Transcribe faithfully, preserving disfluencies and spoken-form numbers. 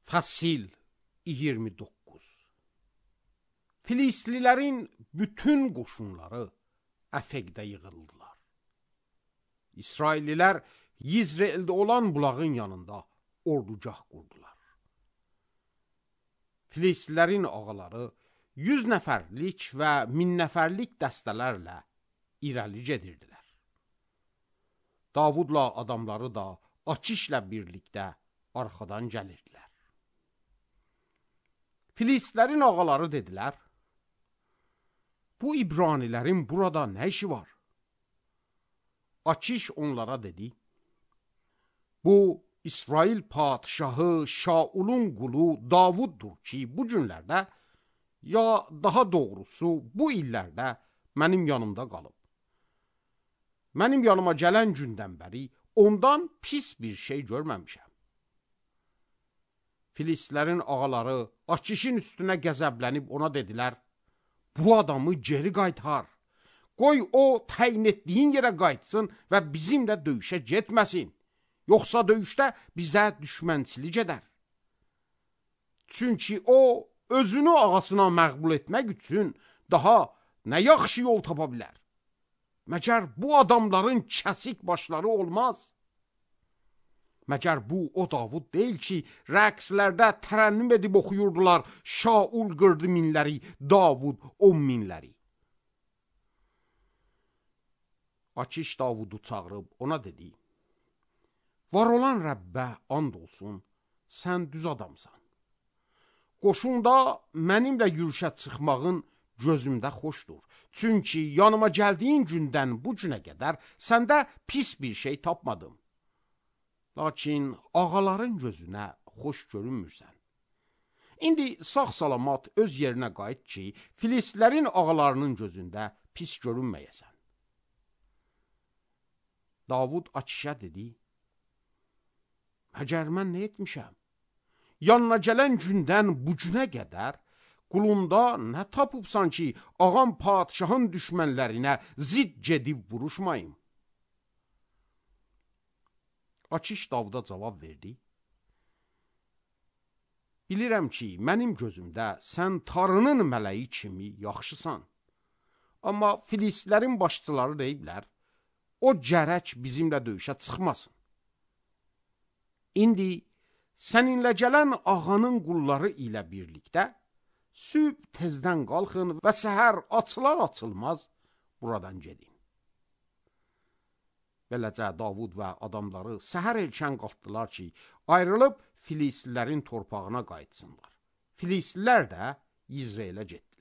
Fəsil iyirmi doqquz. Filistlilərin bütün qoşunları Əfəqdə yığıldılar. İsraillilər Yizreeldə olan bulağın yanında ordugah qurdular. Filistlilərin ağaları yüz nəfərlik və min nəfərlik dəstələrlə irəli gedirdilər. Davudla adamları da Akişlə birlikdə arxadan gəlirdilər. Filistlilərin ağaları dedilər, bu İbranilərin burada nə işi var? Akiş onlara dedi, bu İsrail padişahı Şaulun qulu Davuddur ki, bu günlərdə, ya daha doğrusu bu illərdə mənim yanımda qalıb. Mənim yanıma gələn gündən bəri ondan pis bir şey görməmişəm. Filistlilərin ağaları Akişin üstünə qəzəblənib ona dedilər, bu adamı geri qaytar, qoy o təyin etdiyin yerə qayıtsın və bizimlə döyüşə getməsin, yoxsa döyüşdə bizə düşmənçilik edər. Çünki o, özünü ağasına məğbul etmək üçün daha nə yaxşı yol tapa bilər? Məgər bu adamların kəsik başları olmaz? Məgər bu o Davud deyil ki, rəqslərdə tərənnüm edib oxuyurdular, Şaul qırdı minləri, Davud on minləri. Akiş Davudu çağırıb ona dedi, var olan Rəbbə and olsun, sən düz adamsan. Qoşunda mənimlə yürüşə çıxmağın gözümdə xoşdur. Çünki yanıma gəldiyin gündən bu günə qədər səndə pis bir şey tapmadım. Lakin ağaların gözünə xoş görünmürsən. İndi sağ-salamat öz yerinə qayıt ki, Filistlilərin ağalarının gözündə pis görünməyəsən. Davud Akişə dedi, məgər mən nə etmişəm? Yanına gələn gündən bu günə qədər qulunda nə tapıbsan ki, ağam padişahın düşmənlərinə zid gedib vuruşmayım? Akiş Davuda cavab verdi, bilirəm ki, mənim gözümdə sən Tarının mələyi kimi yaxşısan. Amma Filistlilərin başçıları deyiblər, o gərək bizimlə döyüşə çıxmasın. İndi səninlə gələn ağanın qulları ilə birlikdə sübh tezdən qalxın və səhər açılar açılmaz buradan gedin. Beləcə Davud və adamları səhər erkən qalxdılar ki, ayrılıb Filistlilərin torpağına qayıtsınlar. Filistlilər də Yizreelə getdilər.